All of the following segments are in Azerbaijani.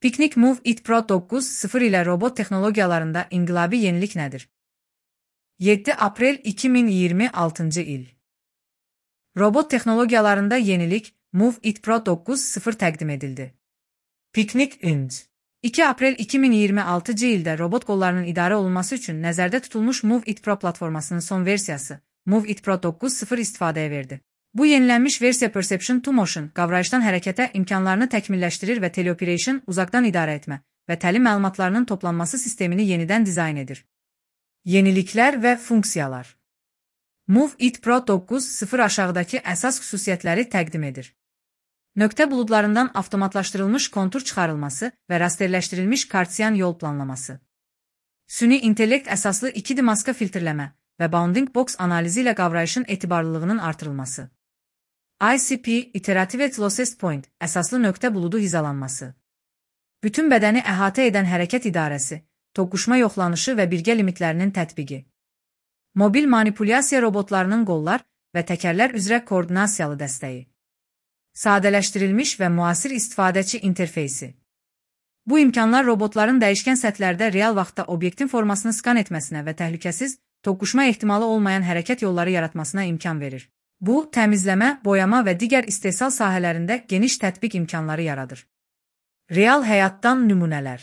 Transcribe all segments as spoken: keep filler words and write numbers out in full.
Picnic Move It Pro doqquz nöqtə sıfır ilə robot texnologiyalarında inqilabi yenilik nədir? yeddi aprel iki min iyirmi altıncı il. Robot texnologiyalarında yenilik Move It Pro doqquz nöqtə sıfır təqdim edildi. Picnic Inc. iki aprel iki min iyirmi altıncı ildə robot qollarının idarə olunması üçün nəzərdə tutulmuş Move It Pro platformasının son versiyası Move It Pro doqquz nöqtə sıfır istifadəyə verdi. Bu yenilənmiş versiya Perception to Motion qavrayışdan hərəkətə imkanlarını təkmilləşdirir və Teleoperation uzaqdan idarə etmə və təlim məlumatlarının toplanması sistemini yenidən dizayn edir. Yeniliklər və funksiyalar. Move It Pro doqquz nöqtə sıfır aşağıdakı əsas xüsusiyyətləri təqdim edir. Nöqtə buludlarından avtomatlaşdırılmış kontur çıxarılması və rasterləşdirilmiş Kartesian yol planlaması. Süni intellekt əsaslı iki D maska filtrləmə və bounding box analizi ilə qavrayışın etibarlılığının artırılması. I C P Iterative Closest Point əsaslı nöqtə buludu hizalanması. Bütün bədəni əhatə edən hərəkət idarəsi, toqquşma yoxlanışı və birgə limitlərinin tətbiqi. Mobil manipulyasiya robotlarının qollar və təkərlər üzrə koordinasiyalı dəstəyi. Sadələşdirilmiş və müasir istifadəçi interfeysi. Bu imkanlar robotların dəyişkən səthlərdə real vaxtda obyektin formasını skan etməsinə və təhlükəsiz, toqquşma ehtimalı olmayan hərəkət yolları yaratmasına imkan verir. Bu, təmizləmə, boyama və digər istehsal sahələrində geniş tətbiq imkanları yaradır. Real həyatdan nümunələr.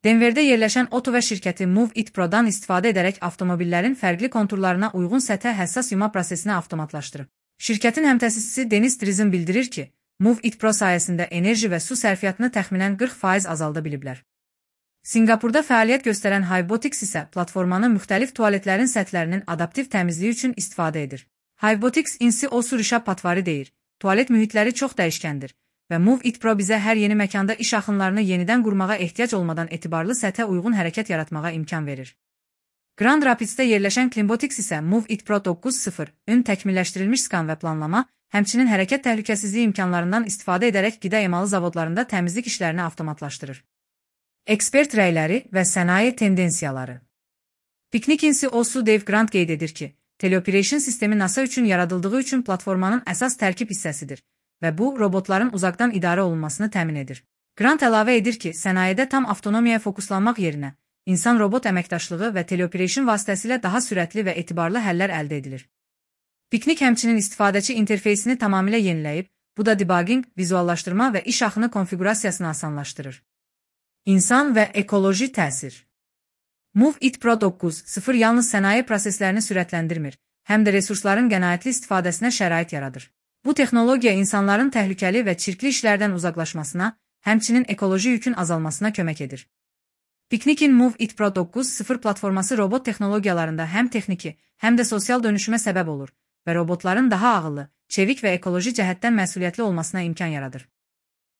Denverdə yerləşən Otowa şirkəti Move It Pro'dan istifadə edərək avtomobillərin fərqli konturlarına uyğun səthə həssas yuma prosesini avtomatlaşdırıb. Şirkətin həmtəsisçisi Denis Drizin bildirir ki, Move It Pro sayəsində enerji və su sərfiyyatını təxminən qırx faiz azalda biliblər. Singapurda fəaliyyət göstərən Hivebotics isə platformanı müxtəlif tualetlərin səthlərinin adaptiv təmizliyi üçün istifadə edir. Hivebotics insi o surişa patvarı deyir, tualet mühitləri çox dəyişkəndir və Move It Pro bizə hər yeni məkanda iş axınlarını yenidən qurmağa ehtiyac olmadan etibarlı səthə uyğun hərəkət yaratmağa imkan verir. Grand Rapidsdə yerləşən Climbotics isə Move It Pro doqquz nöqtə sıfır ün təkmilləşdirilmiş skan və planlama, həmçinin hərəkət təhlükəsizliyi imkanlarından istifadə edərək qida emalı zavodlarında təmizlik işlərini avtomatlaşdırır. Ekspert rəyləri və sənaye tendensiyaları. Picnic insi o su Dave Grant qeyd edir ki, Teleoperation sistemi NASA üçün yaradıldığı üçün platformanın əsas tərkib hissəsidir və bu, robotların uzaqdan idarə olunmasını təmin edir. Grant əlavə edir ki, sənayedə tam avtonomiyaya fokuslanmaq yerinə, insan-robot əməkdaşlığı və Teleoperation vasitəsilə daha sürətli və etibarlı həllər əldə edilir. Picnic həmçinin istifadəçi interfeysini tamamilə yeniləyib, bu da debugging, vizuallaşdırma və iş axını konfigurasiyasını asanlaşdırır. İnsan və ekoloji təsir. Move It Pro doqquz nöqtə sıfır yalnız sənaye proseslərini sürətləndirmir, həm də resursların qənaətli istifadəsinə şərait yaradır. Bu texnologiya insanların təhlükəli və çirkli işlərdən uzaqlaşmasına, həmçinin ekoloji yükün azalmasına kömək edir. Picnic'in Move It Pro doqquz nöqtə sıfır platforması robot texnologiyalarında həm texniki, həm də sosial dönüşümə səbəb olur və robotların daha ağıllı, çevik və ekoloji cəhətdən məsuliyyətli olmasına imkan yaradır.